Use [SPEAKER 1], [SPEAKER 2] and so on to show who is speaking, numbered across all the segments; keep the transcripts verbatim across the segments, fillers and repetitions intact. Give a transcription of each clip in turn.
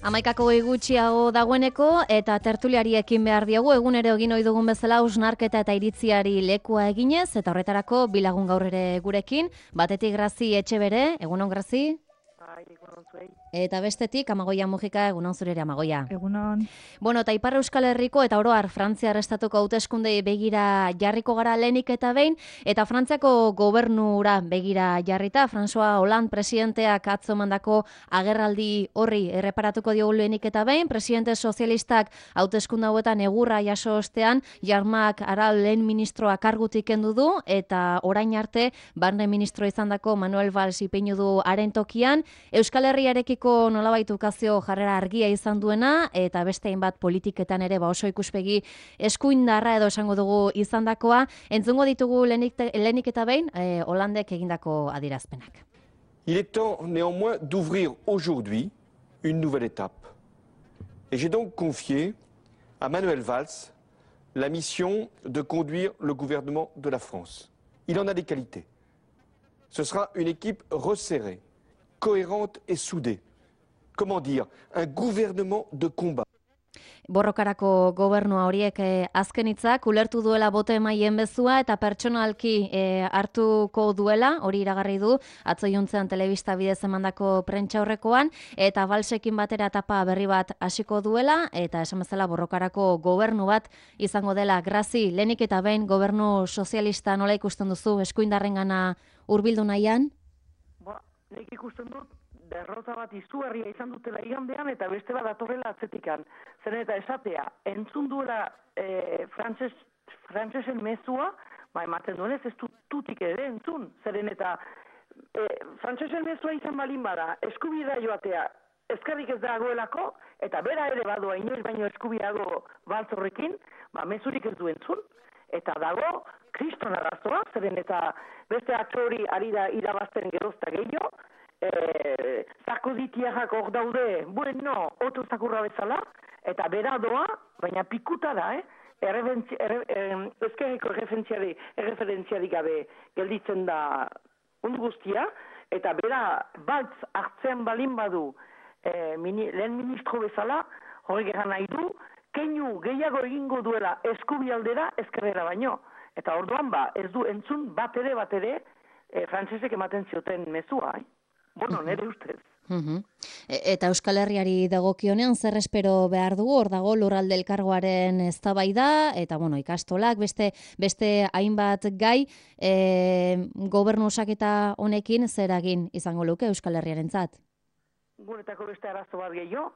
[SPEAKER 1] Hamaikako gutxiago dagoeneko eta tertuliari ekin behar diogu egunero egin ohi dugun bezala hausnarketa eta iritziari lekua eginez eta horretarako bilagun gaur ere gurekin, batetik Grazi Etxebere, egunon Grazi?
[SPEAKER 2] Bai, egunon zuei.
[SPEAKER 1] Eta bestetik Amagoia Mujika, egunon zurere Amagoia.
[SPEAKER 3] Egunon.
[SPEAKER 1] Bueno, eta Ipar Euskal Herriko eta oroar Frantziar estatuko hauteskundei begira jarriko gara lehenik eta behin, eta Frantziako gobernura begira jarrita, François Hollande presidenteak atzo mandako agerraldi horri erreparatuko diogu lehenik eta behin, presidente sozialistak hauteskunde hauetan egurra jaso ostean, Jarmak Aral lehen ministroa kargutik kendu du, eta orain arte barne ministro izandako Manuel Valls ipini du haren tokian, Euskal Herriarekiko nolabait ukazio jarrera argia izan duena, eta beste hainbat politiketan ere ba oso ikuspegi eskuindarra edo esango dugu izandakoa, entzungo ditugu lehenik, lehenik eta behin eh, Hollandek egindako adierazpenak.
[SPEAKER 4] Il est temps néanmoins d'ouvrir aujourd'hui une nouvelle étape. Et j'ai donc confié à Manuel Valls la mission de conduire le gouvernement de la France. Il en a des qualités. Ce sera une équipe resserrée, cohérente et soudée. Comment dire, un gouvernement de combat.
[SPEAKER 1] Borrokarako gobernua horiek eh, azken hitzak ulertu duela boto emaien bezua eta pertsonalki eh, hartuko duela, hori iragarri du atzo juntzean telebista bidez emandako prentsa horrekoan, eta Valsekin batera etapa berri bat hasiko duela, eta esan bezala borrokarako gobernu bat izango dela. Grazi, lehenik eta behin gobernu sozialista nola ikusten duzu eskuindarrengana hurbildu nahian?
[SPEAKER 2] Ba, nik ikusten dut derrota bat izugarria izan dutela igandean eta beste bat datorrela atzetikan. Zeren eta esatea, entzun duela e, frantses, frantsesen mezua, ba, ematen duenez ez dut tutik ere entzun. Zeren eta e, frantsesen mezua izan balin bada, eskubidea joatea, eskerrik ez dagoelako, eta bera ere badoa inoiz baino eskubidago baltzorrekin, ba, mezurik ez du entzun. Eta dago, kriston arazoa, zeren eta beste atzori ari da irabazten gerozta gehiago, Eh, Sarkozitiak hor daude, bueno, oto zakurra bezala, eta bera doa, baina pikuta da, eh? Ezkerreko erreferentziarik gabe gelditzen da undu guztia, eta bera baltz hartzean balin badu eh, mini, lehen ministro bezala, horrek eran nahi du, keinu gehiago egingo duela eskubialdera ezkerrera baino. Eta orduan ba, ez du entzun bat ere bat ere eh, frantsesek ematen zioten mezua, eh? Bueno, nire ustez.
[SPEAKER 1] Uh-huh. Eta Euskal Herriari dagokionean zer espero behar dugu, hor dago lurralde elkargoaren eztabaida eta bueno, ikastolak, beste beste hainbat gai, e, gobernu osaketa honekin zer egin izango luke Euskal Herriarentzat?
[SPEAKER 2] Guretako beste arazo bat gehiago,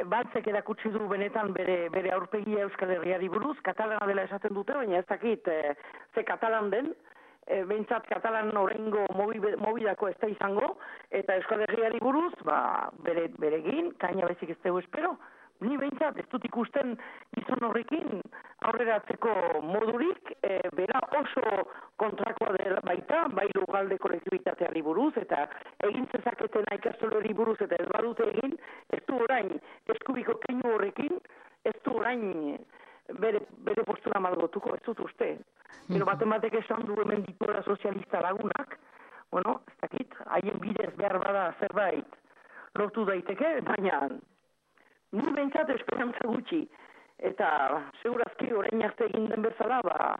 [SPEAKER 2] Baltzek erakutsi du benetan bere, bere aurpegia Euskal Herriari buruz, katalana dela esaten dute, baina ez dakit e, ze katalan den, E, behintzat katalan horrengo mobidako ez da izango, eta Euskal Herriari buruz, ba, bere, beregin, kaina bezik ez dugu espero. Ni behintzat ez dut ikusten gizon horrekin aurreratzeko modurik, e, bera oso kontrakoa dela baita, bai lugalde kolektibitateari buruz, eta egin zezaketena ikastolori buruz, eta ez badute egin, ez du orain eskubiko keinu horrekin, ez du orain bere, bere postura malgotuko, ez dut uste. Pero baten batek esan du hemen dituela sozialista lagunak, bueno, ez dakit, haien bidez behar bada zerbait lortu daiteke, baina ni behintzat esperantza gutxi, eta segurazki orain arte egin den bezala, ba,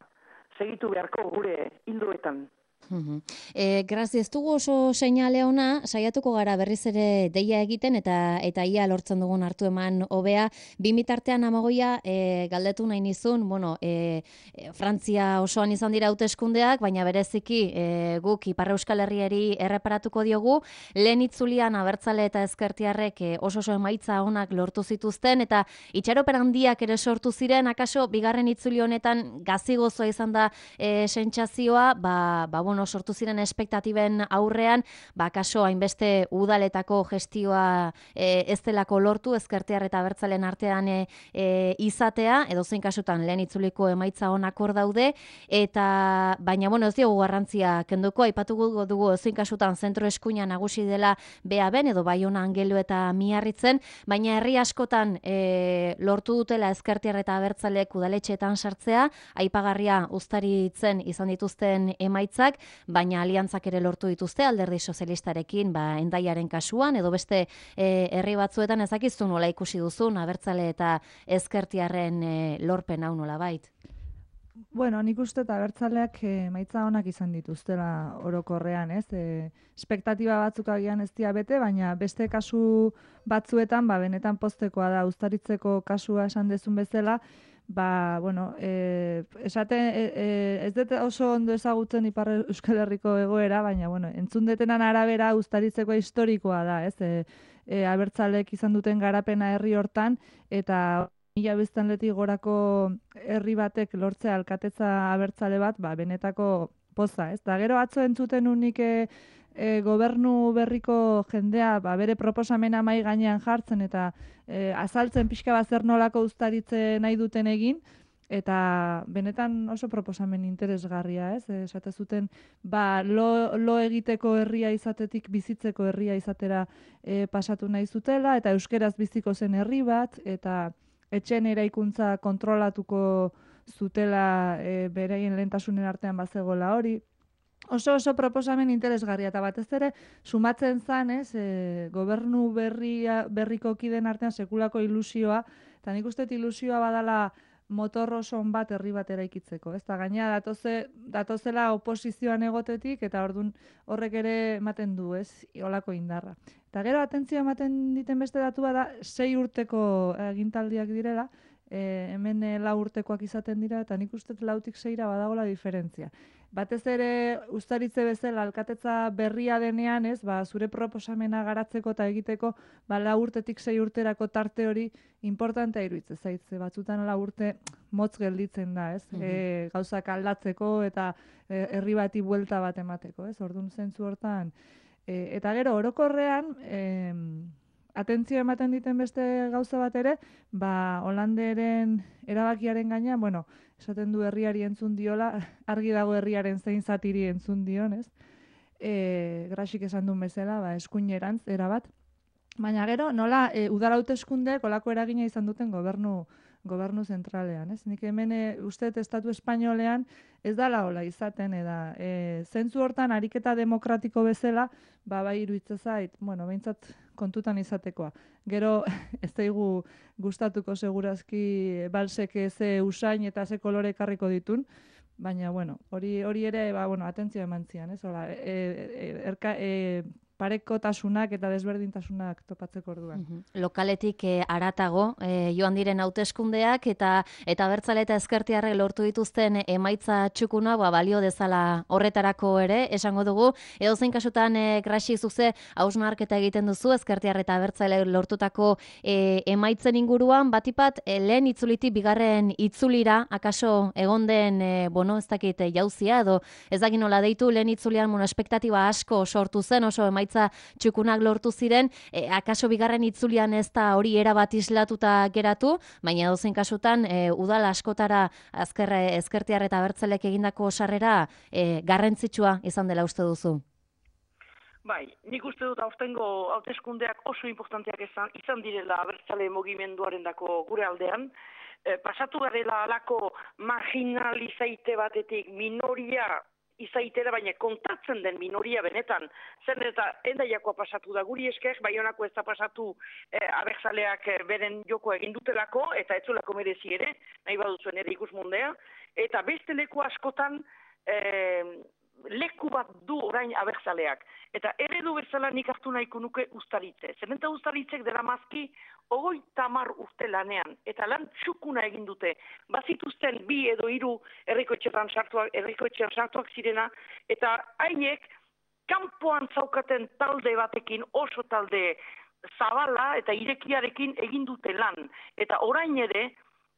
[SPEAKER 2] segitu beharko gure hildoetan.
[SPEAKER 1] Uh-huh. E, Grazi, ez dugu oso seinale ona, saiatuko gara berriz ere deia egiten eta eta ia lortzen dugun hartu eman hobea. Bimitartean Amagoia e, galdetu nahi nizun, bueno, e, e, Frantzia osoan izan dira hauteskundeak, baina bereziki e, guk Ipar Euskal Herriari erreparatuko diogu, lehen itzulian abertzale eta ezkertiarrek e, oso oso emaitza onak lortu zituzten, eta itxaropen handiak ere sortu ziren, akaso bigarren itzuli honetan gazigozoa izan da e, sentsazioa, ba, ba bueno, sortu ziren espektatiben aurrean, ba, kaso hainbeste udaletako gestioa e, ez delako lortu, ezkertiar eta abertzalen artean e, e, izatea, edo zein kasutan lehen itzuliko emaitza onak hor daude, eta baina, bueno, ez diogu garrantzia kenduko, aipatuko dugu zein kasutan zentro eskuina nagusi dela bea ben, edo Baiona Angelu eta Miarritzen, baina herri askotan e, lortu dutela ezkertiar eta abertzalek udaletxeetan sartzea, aipagarria uztaritzen izan dituzten emaitzak, baina aliantzak ere lortu dituzte alderdi sozialistarekin, ba, Hendaiaren kasuan, edo beste e, herri batzuetan ezakizu nola ikusi duzun, abertzale eta ezkertiarren e, lorpen hau nola bait.
[SPEAKER 3] Bueno, nik uste eta abertzaleak emaitza onak izan dituztela orokorrean, ez? E, espektatiba batzuk agian ez dira bete, baina beste kasu batzuetan, ba, benetan poztekoa da, Uztaritzeko kasua esan dezun bezala, ba, bueno, e, esate, e, e, ez dut oso ondo ezagutzen Ipar Euskal Herriko egoera, baina, bueno, entzun detenan arabera Uztaritzekoa historikoa da, ez? E, e, abertzalek izan duten garapena herri hortan, eta mila biztanletik gorako herri batek lortzea alkatetza abertzale bat, ba, benetako poza, ez? Da gero atzo entzuten unik e, e, gobernu berriko jendea ba, bere proposamena mai gainean jartzen eta e, azaltzen pixka bat zer nolako uztaritze nahi duten egin, eta benetan oso proposamen interesgarria, ez? Esate zuten, ba, lo, lo egiteko herria izatetik bizitzeko herria izatera e, pasatu nahi zutela, eta euskeraz biziko zen herri bat, eta etxen eraikuntza kontrolatuko zutela e, bereien lehentasunen artean bazegola hori. Oso oso proposamen interesgarria, eta batez ere sumatzen zan, ez, e, gobernu berria, berriko kiden artean sekulako ilusioa, eta nik uste ilusioa badala motor oso on bat herri bat eraikitzeko, ez? Ta gaina datoze, datozela oposizioan egotetik, eta ordun horrek ere ematen du, ez, olako indarra. Eta gero atentzioa ematen diten beste datua da, sei urteko agintaldiak direla, e, hemen e, lau urtekoak izaten dira, eta nik uste lautik seira badagola diferentzia. Batez ere Uztaritze bezala alkatetza berria denean, ez, ba, zure proposamena garatzeko eta egiteko, ba, lau urtetik sei urterako tarte hori importantea iruditzen zaitze. Batzutan lau urte motz gelditzen da, ez, mm-hmm. e, gauzak aldatzeko eta e, herri bati buelta bat emateko, ez, orduan zentzu hortan. E, eta gero orokorrean, e, atentzio ematen diten beste gauza bat ere, ba, Holanderen erabakiaren gaina, bueno, esaten du herriari entzun diola, argi dago herriaren zein zatiri entzun dion, ez? E, Grasik esan duen bezala, ba, eskuinerantz erabat. Baina gero, nola, e, udal hauteskundeek olako eragina izan duten gobernu gobernu zentralean, ez? Nik hemen e, uste estatu espainolean ez dala hola izaten, eda e, zentzu hortan ariketa demokratiko bezala, ba, bai iruditzen zait, bueno, behintzat kontutan izatekoa. Gero, ez daigu gustatuko segurazki balsek ze usain eta ze kolore ekarriko ditun, baina, bueno, hori hori ere, ba, bueno, atentzioa eman zian, ez? Hola, e, e, erka, e, parekotasunak eta desberdintasunak topatzeko orduan.
[SPEAKER 1] Mm-hmm. Lokaletik e, aratago e, joan diren hauteskundeak eta eta abertzale eta ezkertiarrek lortu dituzten emaitza txukuna, ba, balio dezala horretarako ere, esango dugu, edozein kasutan e, Grasi zuze hausnarketa egiten duzu ezkertiar eta abertzale lortutako e, emaitzen inguruan, batipat e, lehen itzulitik bigarren itzulira, akaso egon den, e, bueno, ez dakit e, jauzia, edo ez dakit nola deitu, lehen itzulian, bueno, espektatiba asko sortu zen, oso emaitza txukunak lortu ziren, e, akaso bigarren itzulian ez da hori erabat islatuta geratu, baina dozen kasutan e, udal askotara azker, ezkertiar eta abertzalek egindako sarrera e, garrantzitsua izan dela uste duzu.
[SPEAKER 2] Bai, nik uste dut aurtengo hauteskundeak oso importanteak izan, izan direla abertzale mugimenduaren dako gure aldean. E, pasatu garela alako marginalizaite batetik minoria izaitera, baina kontatzen den minoria benetan. Zer eta Hendaiakoa pasatu da guri esker, Baionako ez da pasatu eh, abertzaleak eh, beren joko egin dutelako, eta etzulako merezi ere, nahi baduzuen ere ikusmundea, eta beste leku askotan eh, leku bat du orain abertzaleak. Eta eredu bezala nik hartu nahiko nuke Uztaritze. Zerenta Uztaritzek dela mazki ogoi tamar urte lanean, eta lan txukuna egin dute. Bazituzten bi edo hiru herrikoetxean sartuak, herrikoetxean sartuak zirena, eta haiek kanpoan zaukaten talde batekin, oso talde zabala eta irekiarekin egin dute lan. Eta orain ere,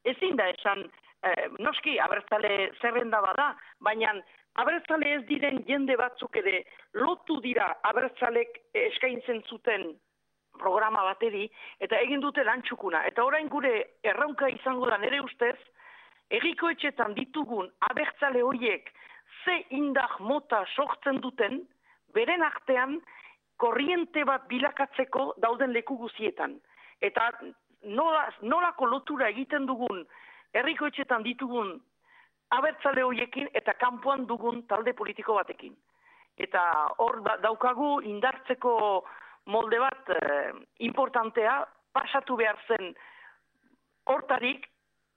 [SPEAKER 2] ezin da esan, eh, noski abertzale zerrenda bada, baina abertzale ez diren jende batzuk ere lotu dira abertzalek eskaintzen zuten programa bateri, eta egin dute lan txukuna. Eta orain gure erronka izango da nere ustez, herrikoetxetan ditugun abertzale horiek ze indar mota sortzen duten, beren artean korriente bat bilakatzeko dauden leku guzietan. Eta nola, nolako lotura egiten dugun herrikoetxetan ditugun abertzale horiekin eta kanpoan dugun talde politiko batekin. Eta hor daukagu indartzeko molde bat eh, importantea, pasatu behar zen hortarik,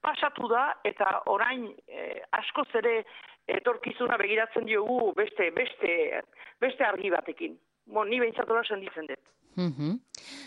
[SPEAKER 2] pasatu da, eta orain eh, askoz ere etorkizuna begiratzen diogu beste, beste, beste argi batekin. Bon, ni behintzatola senditzen dut.
[SPEAKER 1] Mm-hmm.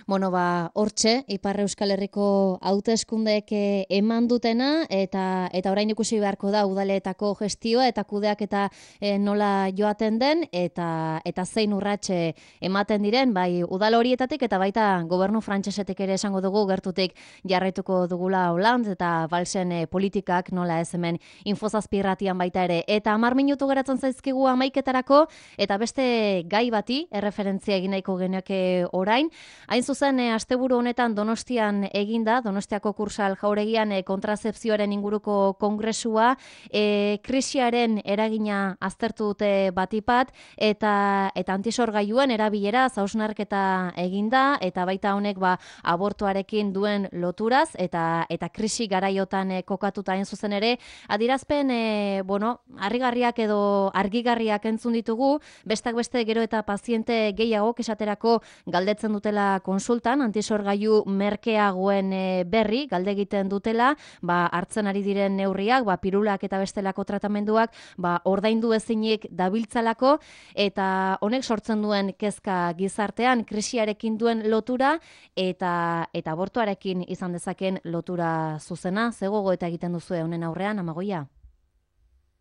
[SPEAKER 1] Bueno, ba, hortxe, Ipar Euskal Herriko hauteskundeek eman dutena, eta eta orain ikusi beharko da udaleetako gestioa eta kudeak eta e, nola joaten den, eta eta zein urratxe ematen diren, bai udal horietatik eta baita gobernu frantsesetik ere esango dugu gertutik jarraituko dugula Hollande eta Valsen e, politikak nola ez hemen infozazpirratian baita ere. Eta hamar minutu geratzen zaizkigu hamaiketarako, eta beste gai bati erreferentzia egin nahiko genioke orain. Hain zuzen, e, asteburu honetan Donostian eginda, Donostiako Kursal Jauregian e, kontrasepzioaren inguruko kongresua, e, krisiaren eragina aztertu dute batipat, eta eta antisorgailuen erabilera hausnarketa eginda, eta baita honek ba abortuarekin duen loturaz, eta eta krisi garaiotan e, kokatuta hain zuzen ere, adierazpen e, bueno, harrigarriak edo argigarriak entzun ditugu, bestak beste gero eta paziente gehiagok esaterako galdetzen dutela konsultan, antisorgailu merkeagoen e, berri, galde egiten dutela, ba, hartzen ari diren neurriak, ba, pirulak eta bestelako tratamenduak, ba, ordaindu ezinik dabiltzalako, eta honek sortzen duen kezka gizartean, krisiarekin duen lotura, eta eta abortuarekin izan dezaken lotura zuzena. Ze gogo eta egiten duzue honen aurrean, Amagoia?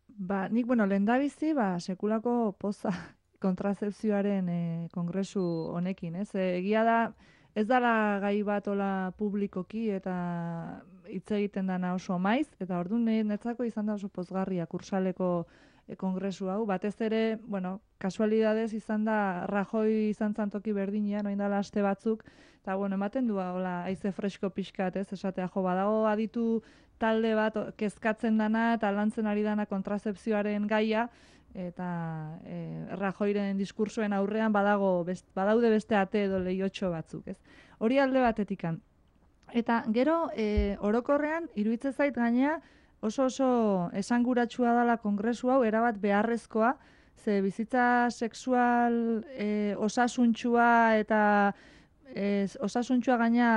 [SPEAKER 3] Ba, nik, bueno, lehendabizi, ba, sekulako poza kontrazepzioaren e, kongresu honekin, ez? E, egia da, ez dala gai bat ola publikoki eta hitz egiten dana oso maiz, eta orduan netzako izan da oso pozgarria kursaleko e, kongresu hau. Batez ere, bueno, kasualidadez izan da Rajoy izan zantoki berdinean, oin dala aste batzuk, eta bueno, ematen du hola haize fresko pixkat, ez? Esatea, jo, badago aditu talde bat kezkatzen dana eta lantzen ari dana kontrazepzioaren gaia, eta e, Rajoyren diskursoen aurrean badago best, badaude beste ate edo lehiotxo batzuk, ez? Hori alde batetikan. Eta gero e, orokorrean iruditzen zait gainea oso oso esanguratsua dela kongresu hau, erabat beharrezkoa, ze bizitza sexual e, osasuntxua eta e, osasuntxua gaina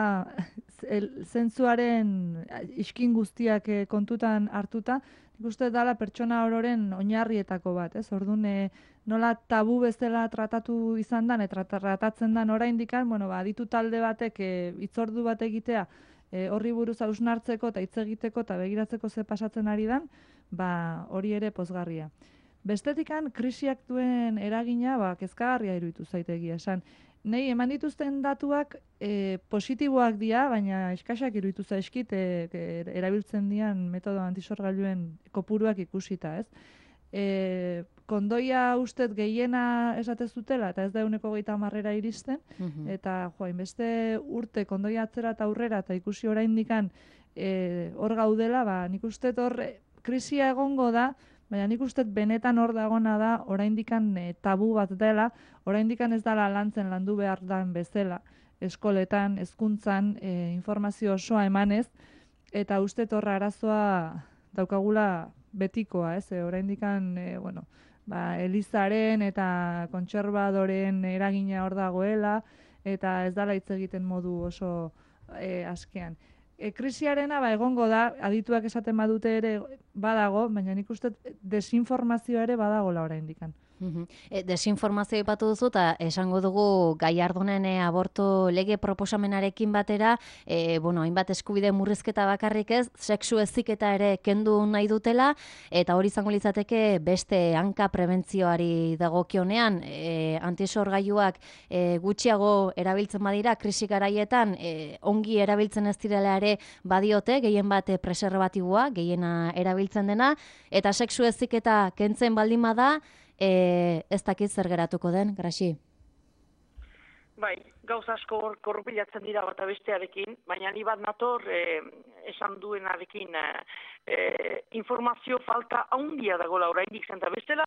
[SPEAKER 3] zentzuaren iskin guztiak e, kontutan hartuta, uste dala pertsona ororen oinarrietako bat, ez? Orduan, e, nola tabu bezala tratatu izan dan, eta tratatzen dan oraindikan, bueno, ba, aditu talde batek e, hitzordu bat egitea, e, horri buruz hausnartzeko eta hitz egiteko eta begiratzeko ze pasatzen ari dan, ba, hori ere pozgarria. Bestetikan, krisiak duen eragina, ba, kezkagarria iruditu zaitegia esan. Nei, eman dituzten datuak e, positiboak dira, baina eskasak iruditu zaizkit e, e, erabiltzen dian metodo antisorgailuen kopuruak ikusita, ez? E, kondoia ustet gehiena esatez dutela, eta ez da euneko gehieta marrera iristen, mm-hmm. eta joa, inbeste urte kondoia atzera eta aurrera, eta ikusi oraindikan e, hor gaudela, ba, nik ustet hor krisia egongo da, baina nik uste benetan hor dagona da, oraindikan e, tabu bat dela, oraindikan ez dela lantzen landu behar dan bezala, eskoletan, hezkuntzan, e, informazio osoa emanez, eta uste horra arazoa daukagula betikoa, ez? E, oraindikan, e, bueno, ba, Elizaren eta kontserbadoren eragina hor dagoela, eta ez dela hitz egiten modu oso e, askean. E, krisiarena ba, egongo da, adituak esaten badute ere badago, baina nik uste desinformazioa ere badagola oraindikan.
[SPEAKER 1] Mm-hmm. E, desinformazio ipatu duzu, eta esango dugu Gallardonen e, aborto lege proposamenarekin batera, e, bueno, hainbat eskubide murrizketa bakarrik ez, sexu heziketa ere kendu nahi dutela, eta hori izango litzateke beste hanka prebentzioari dagokionean, e, antisorgailuak e, gutxiago erabiltzen badira, krisi garaietan, e, ongi erabiltzen ez direla ere badiote, gehien bat e, preservatiboa, gehiena erabiltzen dena, eta sexu heziketa kentzen baldin bada, E, ez dakit zer geratuko den, Graxi?
[SPEAKER 2] Bai, gauz asko korrupilatzen dira bata bestearekin, baina ni bat nator e, esan duenarekin e, informazio falta handia dagoela oraindik zen, eta bestela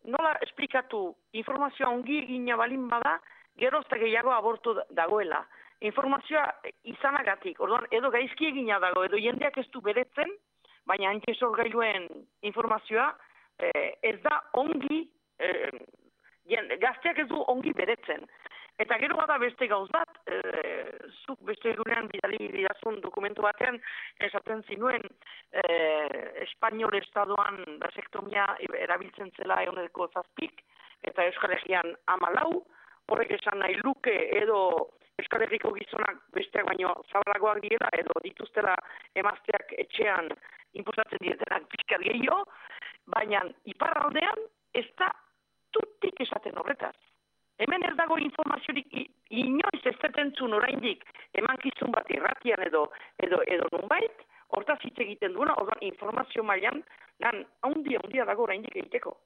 [SPEAKER 2] nola esplikatu informazioa ongi egina balin bada, gero eta gehiago abortu dagoela. Informazioa izanagatik, orduan edo gaizki egina dago, edo jendeak ez du beretzen, baina antisorgailuen informazioa ez da ongi, gazteak ez du ongi beretzen. Eta gero bada beste gauz bat, zuk beste egunean bidali bidazun dokumentu batean, esaten zinuen Espainiol Estadoan basektomia erabiltzen zela eguneko zazpik, eta Euskal Herrian hamalau, horrek esan nahi luke edo Euskal Herriko gizonak besteak baino zabalagoak direla edo dituztela emazteak etxean inposatzen dietenak pixkat gehiago, baina iparraldean ez da tutik esaten horretaz. Hemen ez dago informaziorik inoiz ez detentzun oraindik emankizun bat irratian edo edo edo nunbait, hortaz hitz egiten duena, orduan informazio mailan lan handia handia dago oraindik egiteko.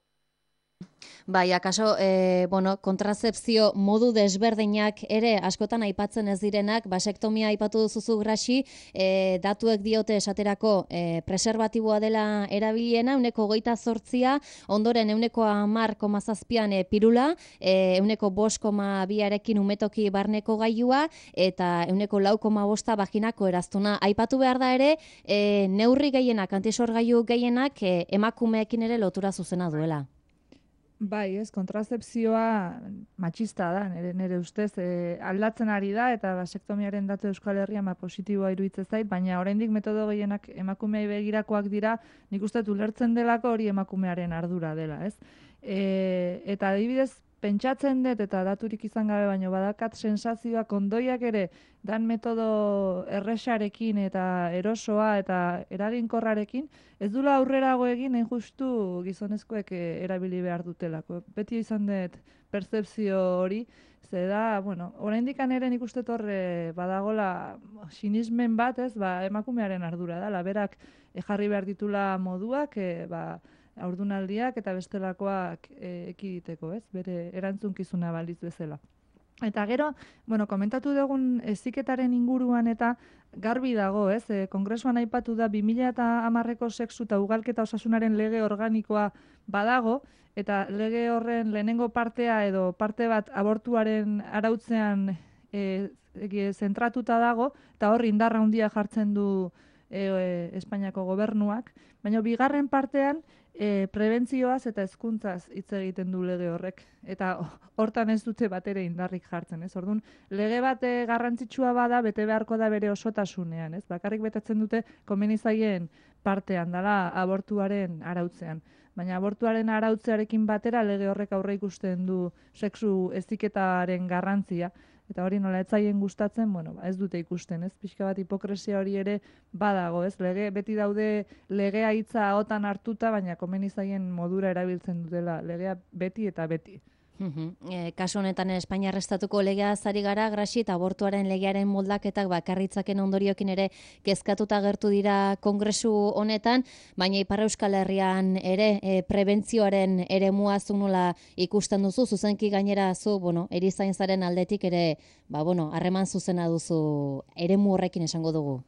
[SPEAKER 1] Bai, akaso, e, bueno, kontrazepzio modu desberdinak ere askotan aipatzen ez direnak, basektomia aipatu duzuzu Grasi, e, datuek diote esaterako e, preservatiboa dela erabiliena, euneko hogeita zortzia, ondoren euneko hamar koma zazpian e, pirula, e, euneko bost koma biarekin umetoki barneko gailua, eta euneko lau koma bosta vaginako eraztuna. Aipatu behar da ere, e, neurri gehienak, antisorgailu gehienak, e, emakumeekin ere lotura zuzena duela.
[SPEAKER 3] Bai, ez, kontrazepzioa matxista da, nire, nire ustez, e, aldatzen ari da, eta basektomiaren datu Euskal Herrian ma positiboa iruditzen zait, baina oraindik metodo gehienak emakumeei begirakoak dira, nik uste ulertzen delako hori emakumearen ardura dela, ez? E, eta adibidez, pentsatzen dut, eta daturik izan gabe, baino badakat sensazioa kondoiak ere, dan metodo erresarekin eta erosoa eta eraginkorrarekin, ez dula aurrerago egin, hain justu gizonezkoek erabili behar dutelako. Beti izan dut pertzepzio hori, ze da, bueno, oraindik ere nik uste torre badagola sinismen bat, ez, ba, emakumearen ardura da, berak jarri behar ditula moduak, e, ba, haurdunaldiak eta bestelakoak e, ekiditeko, ez, bere erantzunkizuna baliz bezala. Eta gero, bueno, komentatu dugun heziketaren inguruan eta garbi dago, ez? E, Kongresuan aipatu da bi mila hamarreko sexu eta ugalketa osasunaren lege organikoa badago, eta lege horren lehenengo partea edo parte bat abortuaren arautzean e, e, zentratuta dago, eta hor indarra handia jartzen du e, e, Espainiako gobernuak, baina bigarren partean E, prebentzioaz eta hezkuntzaz hitz egiten du lege horrek, eta hortan ez dute batere indarrik jartzen, ez? Orduan, lege bat garrantzitsua bada, bete beharko da bere osotasunean, ez? Bakarrik betetzen dute komeni zaien partean dela abortuaren arautzean. Baina abortuaren arautzearekin batera lege horrek aurre ikusten du sexu heziketaren garrantzia, eta hori nola etzaien gustatzen, bueno, ba, ez dute ikusten, ez? Pixka bat hipokresia hori ere badago, ez? Lege, beti daude legea hitza ahotan hartuta, baina komeni zaien modura erabiltzen dutela legea beti eta beti.
[SPEAKER 1] E, kasu honetan Espainiar estatuko legea zari gara, Grasi, eta abortuaren legearen moldaketak bakarritzaken ondoriokin ere kezkatuta agertu dira kongresu honetan, baina Ipar Euskal Herrian ere e, prebentzioaren eremua zu nola ikusten duzu, zuzenki gainera zu, bueno, erizaintzaren aldetik ere, ba, bueno, harreman zuzena duzu eremu horrekin esango dugu.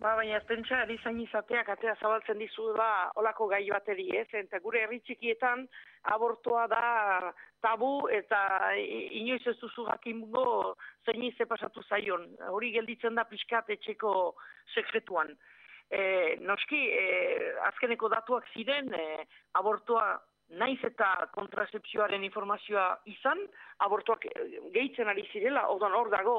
[SPEAKER 2] Ba, baina ez pentsa erizain izateak atea zabaltzen dizu da olako gai bateri, ez? Eta gure herri txikietan abortoa da tabu eta inoiz ez duzu jakingo zein ze pasatu zaion. Hori gelditzen da pixkat etxeko sekretuan. E, noski, e, azkeneko datuak ziren, e, abortoa naiz eta kontrazepzioaren informazioa izan, abortoak gehitzen ari zirela, orduan hor dago,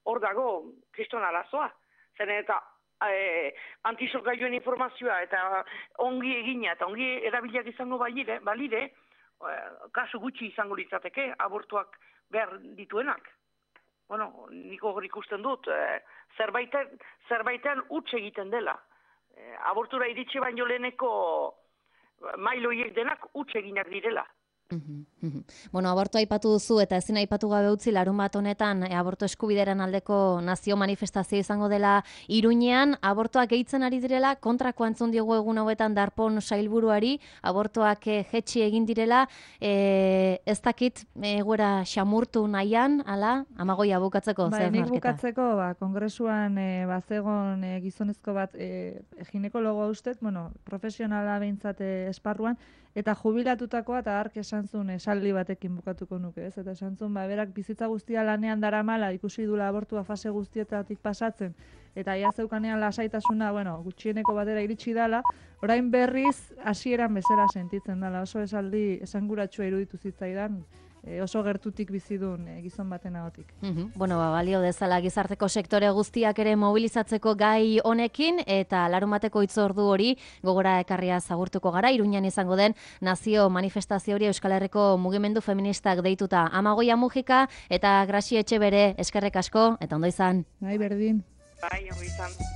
[SPEAKER 2] hor dago kriston arazoa. Zen eta Eh, antisorgailuen informazioa eta ongi egina eta ongi erabiliak izango balire, balire eh, kasu gutxi izango litzateke abortuak behar dituenak. Bueno, niko hori ikusten dut, eh, zerbaiten, zerbaitean huts egiten dela. Eh, abortura iritsi baino leheneko mailoiek denak huts eginak direla.
[SPEAKER 1] Bueno, abortu aipatu duzu eta ezin aipatu gabe utzi larun bat honetan e, abortu eskubidearen aldeko nazio manifestazio izango dela Iruñean, abortuak gehitzen ari direla, kontrakoa entzun diogu egun hauetan Darpón sailburuari, abortuak e, jetxi egin direla, e, ez dakit egoera xamurtu nahian, ala, amagoia bukatzeko,
[SPEAKER 3] ba,
[SPEAKER 1] zer
[SPEAKER 3] nik
[SPEAKER 1] marketa?
[SPEAKER 3] bukatzeko, ba, kongresuan e, bazegon e, gizonezko bat e, ginekologoa ustez, bueno, profesionala behintzat e, esparruan, eta jubilatutakoa eta hark esan zuen esaldi batekin bukatuko nuke, ez? Eta esan zuen, ba, berak bizitza guztia lanean daramala, ikusi dula abortua fase guztietatik pasatzen, eta ia zeukanean lasaitasuna, bueno, gutxieneko batera iritsi dala, orain berriz hasieran bezala sentitzen dala, oso esaldi esanguratsua iruditu zitzaidan, e, oso gertutik bizidun e, gizon baten ahotik.
[SPEAKER 1] Mm-hmm. Bueno, ba, balio dezala gizarteko sektore guztiak ere mobilizatzeko gai honekin, eta larunbateko hitzordu hori gogora ekarria zagurtuko gara, Iruñan izango den nazio manifestazio hori Euskal Herriko mugimendu feministak deituta. Amagoia Mujika eta Grazi Etxebere eskerrek asko, eta ondo izan.
[SPEAKER 3] Bai, berdin.
[SPEAKER 2] Bai, ondo izan.